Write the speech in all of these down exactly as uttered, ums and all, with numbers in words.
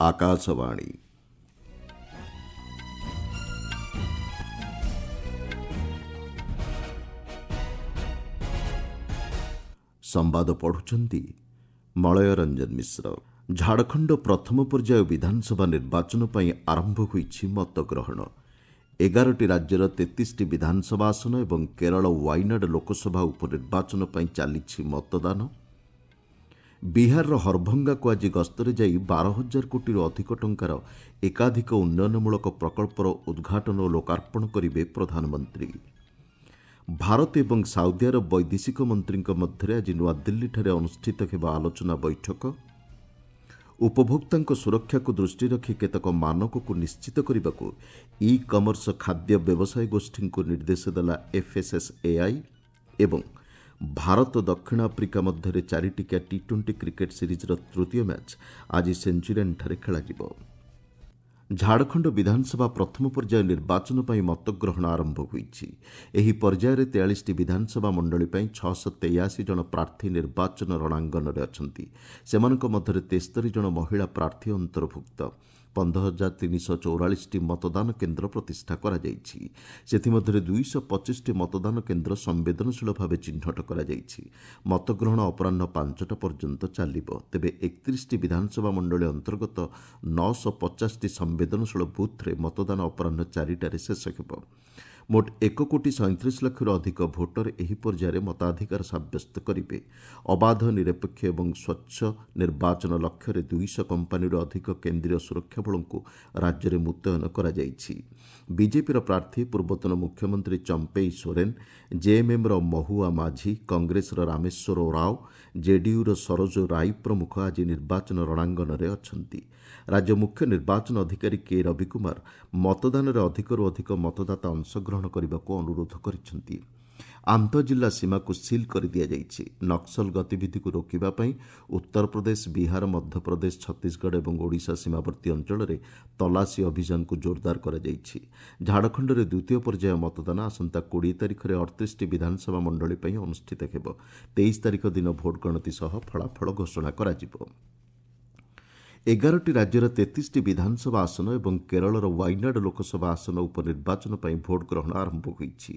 ଆକାଶବାଣୀ। ସମ୍ବାଦ ପଢ଼ୁଛନ୍ତି ମଳୟ ରଞ୍ଜନ ମିଶ୍ର। ଝାଡ଼ଖଣ୍ଡ ପ୍ରଥମ ପର୍ଯ୍ୟାୟ ବିଧାନସଭା ନିର୍ବାଚନ ପାଇଁ ଆରମ୍ଭ ହୋଇଛି ମତଗ୍ରହଣ। ଏଗାରଟି ରାଜ୍ୟର ତେତିଶଟି ବିଧାନସଭା ଆସନ ଏବଂ କେରଳ ୱାଇନାଡ୍ ଲୋକସଭା ଉପନିର୍ବାଚନ ପାଇଁ ଚାଲିଛି ମତଦାନ। ବିହାରର ହରଭଙ୍ଗାକୁ ଆଜି ଗସ୍ତରେ ଯାଇ ବାର ହଜାର କୋଟିରୁ ଅଧିକ ଟଙ୍କାର ଏକାଧିକ ଉନ୍ନୟନମୂଳକ ପ୍ରକଳ୍ପର ଉଦ୍ଘାଟନ ଓ ଲୋକାର୍ପଣ କରିବେ ପ୍ରଧାନମନ୍ତ୍ରୀ। ଭାରତ ଏବଂ ସାଉଦି ଆରବ ବୈଦେଶିକ ମନ୍ତ୍ରୀଙ୍କ ମଧ୍ୟରେ ଆଜି ନୂଆଦିଲ୍ଲୀଠାରେ ଅନୁଷ୍ଠିତ ହେବ ଆଲୋଚନା ବୈଠକ। ଉପଭୋକ୍ତାଙ୍କ ସୁରକ୍ଷାକୁ ଦୃଷ୍ଟିରେ ରଖି କେତେକ ମାନକକୁ ନିଶ୍ଚିତ କରିବାକୁ ଇ କମର୍ସ ଖାଦ୍ୟ ବ୍ୟବସାୟ ଗୋଷ୍ଠୀଙ୍କୁ ନିର୍ଦ୍ଦେଶ ଦେଲା ଏଫ୍ଏସ୍ଏସ୍ଏଆଇ। ଏବଂ ଭାରତ ଦକ୍ଷିଣ ଆଫ୍ରିକା ମଧ୍ୟରେ ଚାରିଟିକିଆ ଟି ଟ୍ୱେଣ୍ଟି କ୍ରିକେଟ୍ ସିରିଜ୍ର ତୃତୀୟ ମ୍ୟାଚ୍ ଆଜି ସେଞ୍ଚୁରିଆନ୍ଠାରେ ଖେଳାଯିବ। ଝାଡ଼ଖଣ୍ଡ ବିଧାନସଭା ପ୍ରଥମ ପର୍ଯ୍ୟାୟ ନିର୍ବାଚନ ପାଇଁ ମତଗ୍ରହଣ ଆରମ୍ଭ ହୋଇଛି। ଏହି ପର୍ଯ୍ୟାୟରେ ତେୟାଳିଶଟି ବିଧାନସଭା ମଣ୍ଡଳୀ ପାଇଁ ଛଅଶହ ତେୟାଅଶୀ ଜଣ ପ୍ରାର୍ଥୀ ନିର୍ବାଚନ ରଣାଙ୍ଗନରେ ଅଛନ୍ତି। ସେମାନଙ୍କ ମଧ୍ୟରେ ତେସ୍ତରୀ ଜଣ ମହିଳା ପ୍ରାର୍ଥୀ ଅନ୍ତର୍ଭୁକ୍ତ। ପନ୍ଦର ହଜାର ତିନିଶହ ଚଉରାଳିଶଟି ମତଦାନ କେନ୍ଦ୍ର ପ୍ରତିଷ୍ଠା କରାଯାଇଛି। ସେଥିମଧ୍ୟରେ ଦୁଇଶହ ପଚିଶଟି ମତଦାନ କେନ୍ଦ୍ର ସମ୍ବେଦନଶୀଳ ଭାବେ ଚିହ୍ନଟ କରାଯାଇଛି। ମତଗ୍ରହଣ ଅପରାହ୍ନ ପାଞ୍ଚଟା ପର୍ଯ୍ୟନ୍ତ ଚାଲିବ। ତେବେ ଏକତିରିଶଟି ବିଧାନସଭା ମଣ୍ଡଳୀ ଅନ୍ତର୍ଗତ ନଅଶହ ପଚାଶଟି ସମ୍ବେଦନଶୀଳ ବୁଥ୍ରେ ମତଦାନ ଅପରାହ୍ନ ଚାରିଟାରେ ଶେଷ ହେବ। ମୋଟ ଏକ କୋଟି ସଇଁତିରିଶ ଲକ୍ଷରୁ ଅଧିକ ଭୋଟର ଏହି ପର୍ଯ୍ୟାୟରେ ମତାଧିକାର ସାବ୍ୟସ୍ତ କରିବେ। ଅବାଧ, ନିରପେକ୍ଷ ଏବଂ ସ୍ୱଚ୍ଛ ନିର୍ବାଚନ ଲକ୍ଷ୍ୟରେ ଦୁଇଶହ କମ୍ପାନୀରୁ ଅଧିକ କେନ୍ଦ୍ରୀୟ ସୁରକ୍ଷା ବଳଙ୍କୁ ରାଜ୍ୟରେ ମୁତୟନ କରାଯାଇଛି। ବିଜେପିର ପ୍ରାର୍ଥୀ ପୂର୍ବତନ ମୁଖ୍ୟମନ୍ତ୍ରୀ ଚମ୍ପେଇ ସୋରେନ୍, ଜେଏମ୍ଏମ୍ର ମହୁଆ ମାଝୀ, କଂଗ୍ରେସର ରାମେଶ୍ୱର ଓରାଓଁ, ଜେଡିୟୁର ସରୋଜ ରାଇ ପ୍ରମୁଖ ଆଜି ନିର୍ବାଚନ ରଣାଙ୍ଗନରେ ଅଛନ୍ତି। ରାଜ୍ୟ ମୁଖ୍ୟ ନିର୍ବାଚନ ଅଧିକାରୀ କେ ରବିକୁମାର ମତଦାନରେ ଅଧିକରୁ ଅଧିକ ମତଦାତା ଅଂଶଗ୍ରହଣ କରିବାକୁ ଅନୁରୋଧ କରିଛନ୍ତି। ଆନ୍ତଃଜିଲ୍ଲା ସୀମାକୁ ସିଲ୍ କରିଦିଆଯାଇଛି। ନକ୍ସଲ ଗତିବିଧିକୁ ରୋକିବା ପାଇଁ ଉତ୍ତରପ୍ରଦେଶ, ବିହାର, ମଧ୍ୟପ୍ରଦେଶ, ଛତିଶଗଡ଼ ଏବଂ ଓଡ଼ିଶା ସୀମାବର୍ତ୍ତୀ ଅଞ୍ଚଳରେ ତଲାସୀ ଅଭିଯାନକୁ ଜୋରଦାର କରାଯାଇଛି। ଝାଡ଼ଖଣ୍ଡରେ ଦ୍ୱିତୀୟ ପର୍ଯ୍ୟାୟ ମତଦାନ ଆସନ୍ତା କୋଡ଼ିଏ ତାରିଖରେ ଅଠତିରିଶଟି ବିଧାନସଭା ମଣ୍ଡଳୀ ପାଇଁ ଅନୁଷ୍ଠିତ ହେବ। ତେଇଶ ତାରିଖ ଦିନ ଭୋଟ ଗଣତି ସହ ଫଳାଫଳ ଘୋଷଣା କରାଯିବ। ଏଗାରଟି ରାଜ୍ୟର ତେତିଶଟି ବିଧାନସଭା ଆସନ ଏବଂ କେରଳର ୱାଇନାଡ୍ ଲୋକସଭା ଆସନ ଉପନିର୍ବାଚନ ପାଇଁ ଭୋଟ ଗ୍ରହଣ ଆରମ୍ଭ ହୋଇଛି।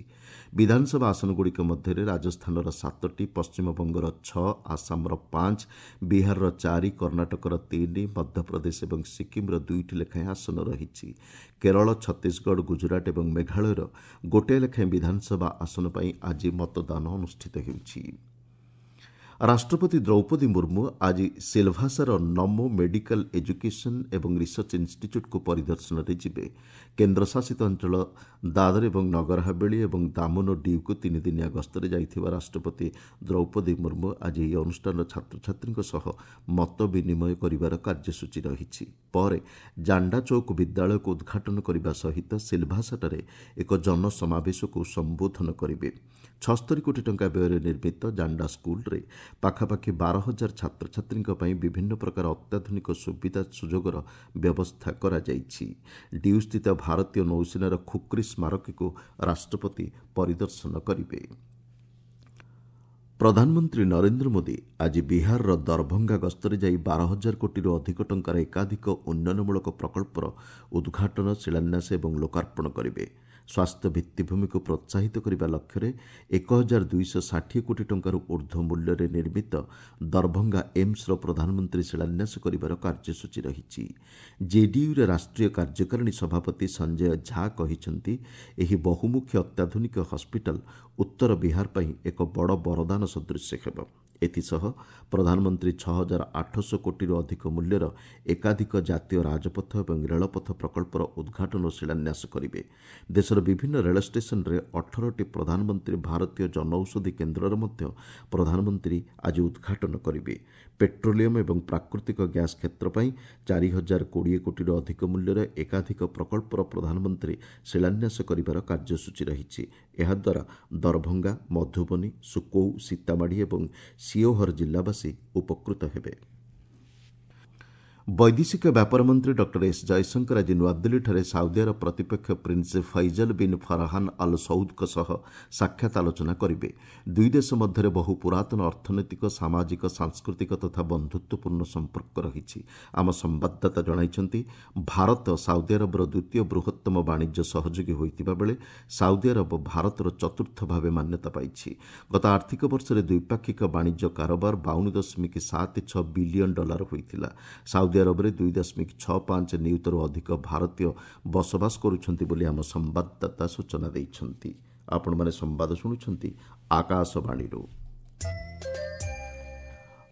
ବିଧାନସଭା ଆସନଗୁଡ଼ିକ ମଧ୍ୟରେ ରାଜସ୍ଥାନର ସାତଟି, ପଶ୍ଚିମବଙ୍ଗର ଛଅ, ଆସାମର ପାଞ୍ଚ, ବିହାରର ଚାରି, କର୍ଣ୍ଣାଟକର ତିନି, ମଧ୍ୟପ୍ରଦେଶ ଏବଂ ସିକ୍କିମ୍ର ଦୁଇଟି ଲେଖାଏଁ ଆସନ ରହିଛି। କେରଳ, ଛତିଶଗଡ଼, ଗୁଜରାଟ ଏବଂ ମେଘାଳୟର ଗୋଟିଏ ଲେଖାଏଁ ବିଧାନସଭା ଆସନ ପାଇଁ ଆଜି ମତଦାନ ଅନୁଷ୍ଠିତ ହେଉଛି। ରାଷ୍ଟ୍ରପତି ଦ୍ରୌପଦୀ ମୁର୍ମୁ ଆଜି ସିଲଭାସାର ନମୋ ମେଡିକାଲ ଏଜୁକେସନ୍ ଏବଂ ରିସର୍ଚ୍ଚ ଇନ୍ଷ୍ଟିଚ୍ୟୁଟ୍କୁ ପରିଦର୍ଶନରେ ଯିବେ। କେନ୍ଦ୍ରଶାସିତ ଅଞ୍ଚଳ ଦାଦର ଏବଂ ନଗର ହାବେଳି ଏବଂ ଦାମନ ଡିଉକୁ ତିନିଦିନିଆ ଗସ୍ତରେ ଯାଇଥିବା ରାଷ୍ଟ୍ରପତି ଦ୍ରୌପଦୀ ମୁର୍ମୁ ଆଜି ଏହି ଅନୁଷ୍ଠାନର ଛାତ୍ରଛାତ୍ରୀଙ୍କ ସହ ମତ ବିନିମୟ କରିବାର କାର୍ଯ୍ୟସୂଚୀ ରହିଛି। ପରେ ଜାଣ୍ଡା ଚୌକ ବିଦ୍ୟାଳୟକୁ ଉଦ୍ଘାଟନ କରିବା ସହିତ ସିଲଭାସାଠାରେ ଏକ ଜନସମାବେଶକୁ ସମ୍ବୋଧନ କରିବେ। ଛସ୍ତରୀ କୋଟି ଟଙ୍କା ବ୍ୟୟରେ ନିର୍ମିତ ଜାଣ୍ଡା ସ୍କୁଲରେ ପାଖାପାଖି ବାର ହଜାର ଛାତ୍ରଛାତ୍ରୀଙ୍କ ପାଇଁ ବିଭିନ୍ନ ପ୍ରକାର ଅତ୍ୟାଧୁନିକ ସୁବିଧା ସୁଯୋଗର ବ୍ୟବସ୍ଥା କରାଯାଇଛି। ଡିଉସ୍ଥିତ ଭାରତୀୟ ନୌସେନାର ଖୁକ୍ରି ସ୍ମାରକୀକୁ ରାଷ୍ଟ୍ରପତି ପରିଦର୍ଶନ କରିବେ। ପ୍ରଧାନମନ୍ତ୍ରୀ ନରେନ୍ଦ୍ର ମୋଦି ଆଜି ବିହାରର ଦରଭଙ୍ଗା ଗସ୍ତରେ ଯାଇ ବାର ହଜାର କୋଟିରୁ ଅଧିକ ଟଙ୍କାର ଏକାଧିକ ଉନ୍ନୟନମୂଳକ ପ୍ରକଳ୍ପର ଉଦ୍ଘାଟନ, ଶିଳାନ୍ୟାସ ଏବଂ ଲୋକାର୍ପଣ କରିବେ। ସ୍ୱାସ୍ଥ୍ୟ ଭିତ୍ତିଭୂମିକୁ ପ୍ରୋତ୍ସାହିତ କରିବା ଲକ୍ଷ୍ୟରେ ଏକ ହଜାର ଦୁଇଶହ ଷାଠିଏ କୋଟି ଟଙ୍କାରୁ ଉର୍ଦ୍ଧ୍ୱ ମୂଲ୍ୟରେ ନିର୍ମିତ ଦରଭଙ୍ଗା ଏମ୍ସର ପ୍ରଧାନମନ୍ତ୍ରୀ ଶିଳାନ୍ୟାସ କରିବାର କାର୍ଯ୍ୟସୂଚୀ ରହିଛି। ଜେଡିୟୁର ରାଷ୍ଟ୍ରୀୟ କାର୍ଯ୍ୟକାରିଣୀ ସଭାପତି ସଞ୍ଜୟ ଝା କହିଛନ୍ତି, ଏହି ବହୁମୁଖୀ ଅତ୍ୟାଧୁନିକ ହସ୍ପିଟାଲ ଉତ୍ତର ବିହାର ପାଇଁ ଏକ ବଡ଼ ବରଦାନ ସଦୃଶ ହେବ। ଏଥିସହ ପ୍ରଧାନମନ୍ତ୍ରୀ ଛଅ ହଜାର ଆଠଶହ କୋଟିରୁ ଅଧିକ ମୂଲ୍ୟର ଏକାଧିକ ଜାତୀୟ ରାଜପଥ ଏବଂ ରେଳପଥ ପ୍ରକଳ୍ପର ଉଦ୍ଘାଟନ ଓ ଶିଳାନ୍ୟାସ କରିବେ। ଦେଶର ବିଭିନ୍ନ ରେଳ ଷ୍ଟେସନରେ ଅଠରଟି ପ୍ରଧାନମନ୍ତ୍ରୀ ଭାରତୀୟ ଜନଔଷଧି କେନ୍ଦ୍ରର ମଧ୍ୟ ପ୍ରଧାନମନ୍ତ୍ରୀ ଆଜି ଉଦ୍ଘାଟନ କରିବେ। ପେଟ୍ରୋଲିୟମ ଏବଂ ପ୍ରାକୃତିକ ଗ୍ୟାସ୍ କ୍ଷେତ୍ର ପାଇଁ ଚାରି ହଜାର କୋଡ଼ିଏ କୋଟିରୁ ଅଧିକ ମୂଲ୍ୟର ଏକାଧିକ ପ୍ରକଳ୍ପର ପ୍ରଧାନମନ୍ତ୍ରୀ ଶିଳାନ୍ୟାସ କରିବାର କାର୍ଯ୍ୟସୂଚୀ ରହିଛି। ଏହାଦ୍ୱାରା ଦରଭଙ୍ଗା, ମଧୁବନୀ, ସୁକୌ, ସୀତାମାଢ଼ି ଏବଂ ସିଓହର ଜିଲ୍ଲାବାସୀ ଉପକୃତ ହେବେ। ବୈଦେଶିକ ବ୍ୟାପାର ମନ୍ତ୍ରୀ ଡକ୍ଟର ଏସ୍ ଜୟଶଙ୍କର ଆଜି ନୂଆଦିଲ୍ଲୀଠାରେ ସାଉଦି ଆରବ ପ୍ରତିପକ୍ଷ prince Faisal bin Farhan al ସଉଦଙ୍କ ସହ ସାକ୍ଷାତ ଆଲୋଚନା କରିବେ। ଦୁଇ ଦେଶ ମଧ୍ୟରେ ବହୁ ପୁରାତନ ଅର୍ଥନୈତିକ, ସାମାଜିକ, ସାଂସ୍କୃତିକ ତଥା ବନ୍ଧୁତ୍ୱପୂର୍ଣ୍ଣ ସମ୍ପର୍କ ରହିଛି। ଆମ ସମ୍ବାଦଦାତା ଜଣାଇଛନ୍ତି, ଭାରତ ସାଉଦି ଆରବର ଦ୍ୱିତୀୟ ବୃହତ୍ତମ ବାଣିଜ୍ୟ ସହଯୋଗୀ ହୋଇଥିବା ବେଳେ ସାଉଦି ଆରବ ଭାରତର ଚତୁର୍ଥ ଭାବେ ମାନ୍ୟତା ପାଇଛି। ଗତ ଆର୍ଥିକ ବର୍ଷରେ ଦ୍ୱିପାକ୍ଷିକ ବାଣିଜ୍ୟ କାରବାର ବାଉନ ଦଶମିକ ସାତ ଛଅ ବିଲିୟନ ଡଲାର ହୋଇଥିଲା। ସାଉଦି ଆରବରେ ଦୁଇ ଦଶମିକ ଛଅ ପାଞ୍ଚ ନିୟୁତରୁ ଅଧିକ ଭାରତୀୟ ବସବାସ କରୁଛନ୍ତି ବୋଲି ଆମ ସମ୍ବାଦଦାତା ସୂଚନା ଦେଇଛନ୍ତି। ଆପଣମାନେ ସମ୍ବାଦ ଶୁଣୁଛନ୍ତି ଆକାଶବାଣୀରୁ।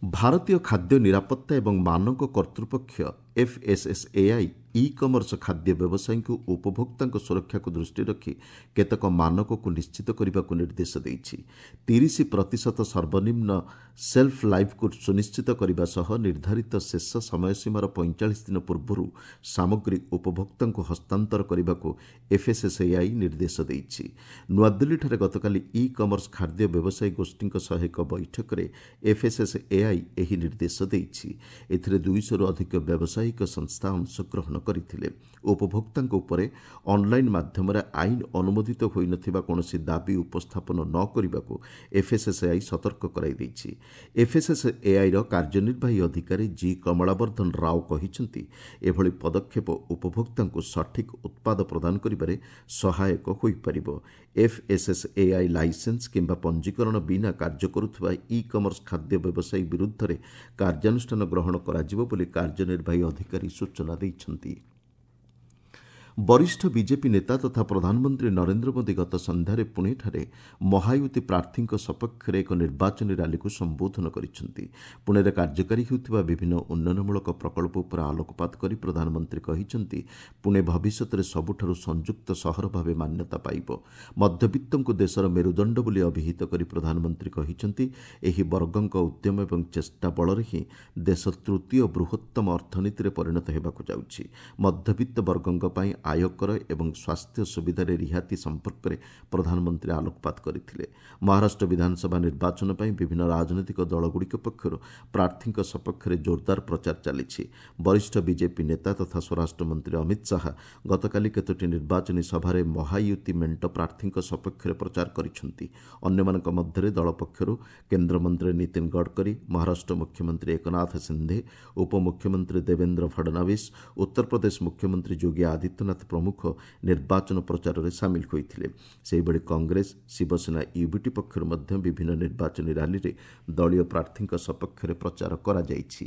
ଭାରତୀୟ ଖାଦ୍ୟ ନିରାପତ୍ତା ଏବଂ ମାନକ କର୍ତ୍ତୃପକ୍ଷ ଏଫ୍ଏସ୍ଏସ୍ଏଆଇ ଇ କମର୍ସ ଖାଦ୍ୟ ବ୍ୟବସାୟୀଙ୍କୁ ଉପଭୋକ୍ତାଙ୍କ ସୁରକ୍ଷାକୁ ଦୃଷ୍ଟିରେ ରଖି କେତେକ ମାନକକୁ ନିଶ୍ଚିତ କରିବାକୁ ନିର୍ଦ୍ଦେଶ ଦେଇଛି। ତିରିଶ ପ୍ରତିଶତ ସର୍ବନିମ୍ନ ସେଲ୍ଫ ଲାଇଫ୍କୁ ସୁନିଶ୍ଚିତ କରିବା ସହ ନିର୍ଦ୍ଧାରିତ ଶେଷ ସମୟସୀମାର ପଇଁଚାଳିଶ ଦିନ ପୂର୍ବରୁ ସାମଗ୍ରୀ ଉପଭୋକ୍ତାଙ୍କୁ ହସ୍ତାନ୍ତର କରିବାକୁ ଏଫ୍ଏସ୍ଏସ୍ଏଆଇ ନିର୍ଦ୍ଦେଶ ଦେଇଛି। ନୂଆଦିଲ୍ଲୀଠାରେ ଗତକାଲି ଇ କମର୍ସ ଖାଦ୍ୟ ବ୍ୟବସାୟୀ ଗୋଷ୍ଠୀଙ୍କ ସହ ଏକ ବୈଠକରେ ଏଫ୍ଏସ୍ଏସ୍ଏଆଇ ଏହି ନିର୍ଦ୍ଦେଶ ଦେଇଛି। ଏଥିରେ ଦୁଇଶହରୁ ଅଧିକ ବ୍ୟବସାୟିକ ସଂସ୍ଥା ଅଂଶଗ୍ରହଣ କରିଥିଲେ। ଉପଭୋକ୍ତାଙ୍କ ଉପରେ ଅନ୍ଲାଇନ୍ ମାଧ୍ୟମରେ ଆଇନ ଅନୁମୋଦିତ ହୋଇନଥିବା କୌଣସି ଦାବି ଉପସ୍ଥାପନ ନ କରିବାକୁ ଏଫ୍ଏସ୍ଏସ୍ଏଆଇ ସତର୍କ କରାଇ ଦେଇଛି। ଏଫ୍ଏସ୍ଏସ୍ଏଆଇର କାର୍ଯ୍ୟନିର୍ବାହୀ ଅଧିକାରୀ ଜି କମଳାବର୍ଦ୍ଧନ ରାଓ କହିଛନ୍ତି, ଏଭଳି ପଦକ୍ଷେପ ଉପଭୋକ୍ତାଙ୍କୁ ସଠିକ୍ ଉତ୍ପାଦ ପ୍ରଦାନ କରିବାରେ ସହାୟକ ହୋଇପାରିବ। ଏଫ୍ଏସ୍ଏସ୍ଏଆଇ ଲାଇସେନ୍ସ କିମ୍ବା ପଞ୍ଜୀକରଣ ବିନା କାର୍ଯ୍ୟ କରୁଥିବା ଇ କମର୍ସ ଖାଦ୍ୟ ବ୍ୟବସାୟୀ ବିରୁଦ୍ଧରେ କାର୍ଯ୍ୟାନୁଷ୍ଠାନ ଗ୍ରହଣ କରାଯିବ ବୋଲି କାର୍ଯ୍ୟନିର୍ବାହୀ ଅଧିକାରୀ ସୂଚନା ଦେଇଛନ୍ତି। ବରିଷ୍ଠ ବିଜେପି ନେତା ତଥା ପ୍ରଧାନମନ୍ତ୍ରୀ ନରେନ୍ଦ୍ର ମୋଦି ଗତ ସନ୍ଧ୍ୟାରେ ପୁଣେଠାରେ ମହାୟୁତି ପ୍ରାର୍ଥୀଙ୍କ ସପକ୍ଷରେ ଏକ ନିର୍ବାଚନୀ ରାଲିକୁ ସମ୍ବୋଧନ କରିଛନ୍ତି। ପୁଣେରେ କାର୍ଯ୍ୟକାରୀ ହେଉଥିବା ବିଭିନ୍ନ ଉନ୍ନୟନମୂଳକ ପ୍ରକଳ୍ପ ଉପରେ ଆଲୋକପାତ କରି ପ୍ରଧାନମନ୍ତ୍ରୀ କହିଛନ୍ତି, ପୁଣେ ଭବିଷ୍ୟତରେ ସବୁଠାରୁ ସଂଯୁକ୍ତ ସହର ଭାବେ ମାନ୍ୟତା ପାଇବ। ମଧ୍ୟବିତ୍ତଙ୍କୁ ଦେଶର ମେରୁଦଣ୍ଡ ବୋଲି ଅଭିହିତ କରି ପ୍ରଧାନମନ୍ତ୍ରୀ କହିଛନ୍ତି, ଏହି ବର୍ଗଙ୍କ ଉଦ୍ୟମ ଏବଂ ଚେଷ୍ଟା ବଳରେ ହିଁ ଦେଶ ତୃତୀୟ ବୃହତ୍ତମ ଅର୍ଥନୀତିରେ ପରିଣତ ହେବାକୁ ଯାଉଛି। ମଧ୍ୟବିତ୍ତ ବର୍ଗଙ୍କ ପାଇଁ ଆୟକର ଏବଂ ସ୍ୱାସ୍ଥ୍ୟ ସୁବିଧାରେ ରିହାତି ସମ୍ପର୍କରେ ପ୍ରଧାନମନ୍ତ୍ରୀ ଆଲୋକପାତ କରିଥିଲେ। ମହାରାଷ୍ଟ୍ର ବିଧାନସଭା ନିର୍ବାଚନ ପାଇଁ ବିଭିନ୍ନ ରାଜନୈତିକ ଦଳଗୁଡ଼ିକ ପକ୍ଷରୁ ପ୍ରାର୍ଥୀଙ୍କ ସପକ୍ଷରେ ଜୋରଦାର ପ୍ରଚାର ଚାଲିଛି। ବରିଷ୍ଠ ବିଜେପି ନେତା ତଥା ସ୍ୱରାଷ୍ଟ୍ରମନ୍ତ୍ରୀ ଅମିତ ଶାହା ଗତକାଲି କେତୋଟି ନିର୍ବାଚନୀ ସଭାରେ ମହାୟୁତି ମେଣ୍ଟ ପ୍ରାର୍ଥୀଙ୍କ ସପକ୍ଷରେ ପ୍ରଚାର କରିଛନ୍ତି। ଅନ୍ୟମାନଙ୍କ ମଧ୍ୟରେ ଦଳ ପକ୍ଷରୁ କେନ୍ଦ୍ରମନ୍ତ୍ରୀ ନୀତିନ ଗଡ଼କରୀ, ମହାରାଷ୍ଟ୍ର ମୁଖ୍ୟମନ୍ତ୍ରୀ ଏକନାଥ ସିନ୍ଧେ, ଉପମୁଖ୍ୟମନ୍ତ୍ରୀ ଦେବେନ୍ଦ୍ର ଫଡନାଭିସ୍, ଉତ୍ତରପ୍ରଦେଶ ମୁଖ୍ୟମନ୍ତ୍ରୀ ଯୋଗୀ ଆଦିତ୍ୟନାଥ ପ୍ରମୁଖ ନିର୍ବାଚନ ପ୍ରଚାରରେ ସାମିଲ ହୋଇଥିଲେ। ସେହିଭଳି କଂଗ୍ରେସ, ଶିବସେନା, ୟୁବିଟି ପକ୍ଷରୁ ମଧ୍ୟ ବିଭିନ୍ନ ନିର୍ବାଚନୀ ରାଲିରେ ଦଳୀୟ ପ୍ରାର୍ଥୀଙ୍କ ସପକ୍ଷରେ ପ୍ରଚାର କରାଯାଇଛି।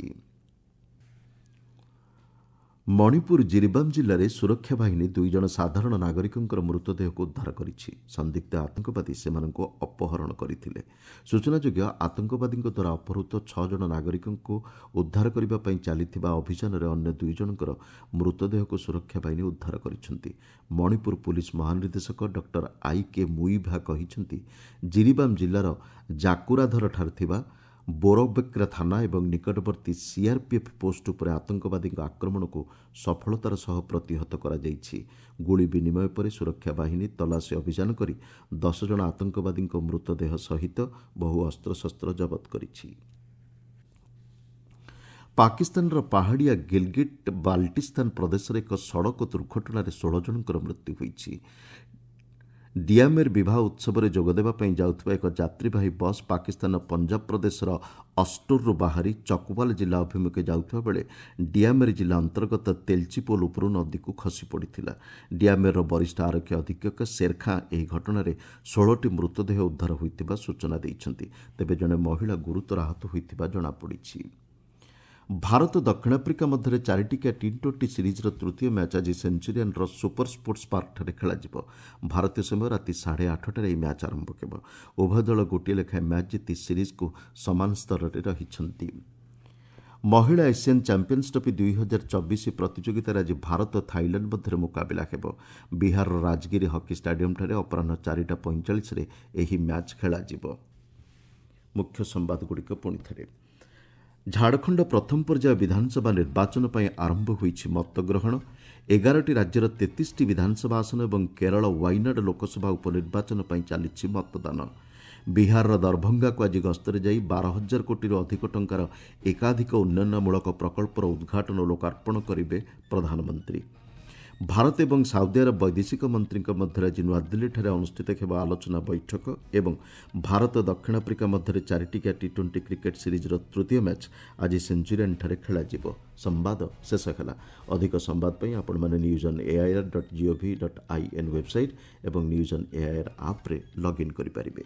ମଣିପୁର ଜିରିବାମ ଜିଲ୍ଲାରେ ସୁରକ୍ଷା ବାହିନୀ ଦୁଇ ଜଣ ସାଧାରଣ ନାଗରିକଙ୍କର ମୃତଦେହକୁ ଉଦ୍ଧାର କରିଛି। ସନ୍ଦିଗ୍ଧ ଆତଙ୍କବାଦୀ ସେମାନଙ୍କୁ ଅପହରଣ କରିଥିଲେ। ସୂଚନାଯୋଗ୍ୟ, ଆତଙ୍କବାଦୀଙ୍କ ଦ୍ୱାରା ଅପହୃତ ଛଅ ଜଣ ନାଗରିକଙ୍କୁ ଉଦ୍ଧାର କରିବା ପାଇଁ ଚାଲିଥିବା ଅଭିଯାନରେ ଅନ୍ୟ ଦୁଇ ଜଣଙ୍କର ମୃତଦେହକୁ ସୁରକ୍ଷା ବାହିନୀ ଉଦ୍ଧାର କରିଛନ୍ତି। ମଣିପୁର ପୁଲିସ ମହାନିର୍ଦ୍ଦେଶକ ଡକ୍ଟର I K Muivah କହିଛନ୍ତି, ଜିରିବାମ ଜିଲ୍ଲାର ଜାକୁରାଧରଠାରେ ଥିବା ବୋରବେକ୍ରା ଥାନା ଏବଂ ନିକଟବର୍ତ୍ତୀ ସିଆର୍ପିଏଫ୍ ପୋଷ୍ଟ ଉପରେ ଆତଙ୍କବାଦୀଙ୍କ ଆକ୍ରମଣକୁ ସଫଳତାର ସହ ପ୍ରତିହତ କରାଯାଇଛି। ଗୁଳି ବିନିମୟ ପରେ ସୁରକ୍ଷା ବାହିନୀ ତଲାସୀ ଅଭିଯାନ କରି ଦଶ ଜଣ ଆତଙ୍କବାଦୀଙ୍କ ମୃତଦେହ ସହିତ ବହୁ ଅସ୍ତ୍ରଶସ୍ତ୍ର ଜବତ କରିଛି। ପାକିସ୍ତାନର ପାହାଡ଼ିଆ ଗିଲଗିଟ୍ ବାଲ୍ଟିସ୍ତାନ ପ୍ରଦେଶରେ ଏକ ସଡ଼କ ଦୁର୍ଘଟଣାରେ ଷୋହଳ ଜଣଙ୍କର ମୃତ୍ୟୁ ହୋଇଛି। ଡିଆମେର ବିବାହ ଉତ୍ସବରେ ଯୋଗଦେବା ପାଇଁ ଯାଉଥିବା ଏକ ଯାତ୍ରୀବାହୀ ବସ୍ ପାକିସ୍ତାନର ପଞ୍ଜାବ ପ୍ରଦେଶର ଅଷ୍ଟୋରରୁ ବାହାରି ଚକୱାଲ ଜିଲ୍ଲା ଅଭିମୁଖେ ଯାଉଥିବା ବେଳେ ଡିଆମେର ଜିଲ୍ଲା ଅନ୍ତର୍ଗତ ତେଲଚି ପୋଲ ଉପରୁ ନଦୀକୁ ଖସି ପଡ଼ିଥିଲା। ଡିଆମେରର ବରିଷ୍ଠ ଆରକ୍ଷୀ ଅଧୀକ୍ଷକ ଶେର ଖାଁ ଏହି ଘଟଣାରେ ଷୋହଳଟି ମୃତଦେହ ଉଦ୍ଧାର ହୋଇଥିବା ସୂଚନା ଦେଇଛନ୍ତି। ତେବେ ଜଣେ ମହିଳା ଗୁରୁତର ଆହତ ହୋଇଥିବା ଜଣାପଡ଼ିଛି। ଭାରତ ଦକ୍ଷିଣ ଆଫ୍ରିକା ମଧ୍ୟରେ ଚାରିଟିକିଆ ଟି ଟ୍ୱେଣ୍ଟି ସିରିଜ୍ର ତୃତୀୟ ମ୍ୟାଚ୍ ଆଜି ସେଞ୍ଚୁରିଆନ୍ର ସୁପର ସ୍ପୋର୍ଟସ୍ ପାର୍କଠାରେ ଖେଳାଯିବ। ଭାରତୀୟ ସମୟ ରାତି ସାଢ଼େ ଆଠଟାରେ ଏହି ମ୍ୟାଚ୍ ଆରମ୍ଭ ହେବ। ଉଭୟ ଦଳ ଗୋଟିଏ ଲେଖାଏଁ ମ୍ୟାଚ୍ ଜିତି ସିରିଜ୍କୁ ସମାନ ସ୍ତରରେ ରହିଛନ୍ତି। ମହିଳା ଏସିଆନ୍ ଚାମ୍ପିୟନ୍ସ ଟ୍ରଫି ଦୁଇ ହଜାର ଚବିଶ ପ୍ରତିଯୋଗିତାରେ ଆଜି ଭାରତ ଥାଇଲାଣ୍ଡ ମଧ୍ୟରେ ମୁକାବିଲା ହେବ। ବିହାରର ରାଜଗିରି ହକି ଷ୍ଟାଡିୟମ୍ଠାରେ ଅପରାହ୍ନ ଚାରିଟା ପଇଁଚାଳିଶରେ ଏହି ମ୍ୟାଚ୍ ଖେଳାଯିବ। ମୁଖ୍ୟ ସମ୍ବାଦଗୁଡ଼ିକ ପୁଣି ଥରେ। ଝାଡ଼ଖଣ୍ଡ ପ୍ରଥମ ପର୍ଯ୍ୟାୟ ବିଧାନସଭା ନିର୍ବାଚନ ପାଇଁ ଆରମ୍ଭ ହୋଇଛି ମତଗ୍ରହଣ। ଏଗାରଟି ରାଜ୍ୟର ତେତିଶଟି ବିଧାନସଭା ଆସନ ଏବଂ କେରଳ ୱାଇନାଡ ଲୋକସଭା ଉପନିର୍ବାଚନ ପାଇଁ ଚାଲିଛି ମତଦାନ। ବିହାରର ଦରଭଙ୍ଗାକୁ ଆଜି ଗସ୍ତରେ ଯାଇ ବାର ହଜାର କୋଟିରୁ ଅଧିକ ଟଙ୍କାର ଏକାଧିକ ଉନ୍ନୟନମୂଳକ ପ୍ରକଳ୍ପର ଉଦ୍ଘାଟନ ଓ ଲୋକାର୍ପଣ କରିବେ ପ୍ରଧାନମନ୍ତ୍ରୀ। ଭାରତ ଏବଂ ସାଉଦି ଆରବ ବୈଦେଶିକ ମନ୍ତ୍ରୀଙ୍କ ମଧ୍ୟରେ ଆଜି ନୂଆଦିଲ୍ଲୀଠାରେ ଅନୁଷ୍ଠିତ ହେବ ଆଲୋଚନା ବୈଠକ ଏବଂ ଭାରତ ଦକ୍ଷିଣ ଆଫ୍ରିକା ମଧ୍ୟରେ ଚାରିଟିକିଆ ଟି ଟ୍ୱେଣ୍ଟି କ୍ରିକେଟ୍ ସିରିଜ୍ର ତୃତୀୟ ମ୍ୟାଚ୍ ଆଜି ସେଞ୍ଚୁରିଆନ୍ଠାରେ ଖେଳାଯିବ। ସମ୍ବାଦ ଶେଷ ହେଲା। ଅଧିକ ସମ୍ବାଦ ପାଇଁ ଆପଣମାନେ news on AIR dot GOV dot I N website ଏବଂ ନ୍ୟୁଜ୍ ଅନ୍ ଏଆଇଆର୍ ଆପ୍ରେ ଲଗ୍ଇନ୍ କରିପାରିବେ।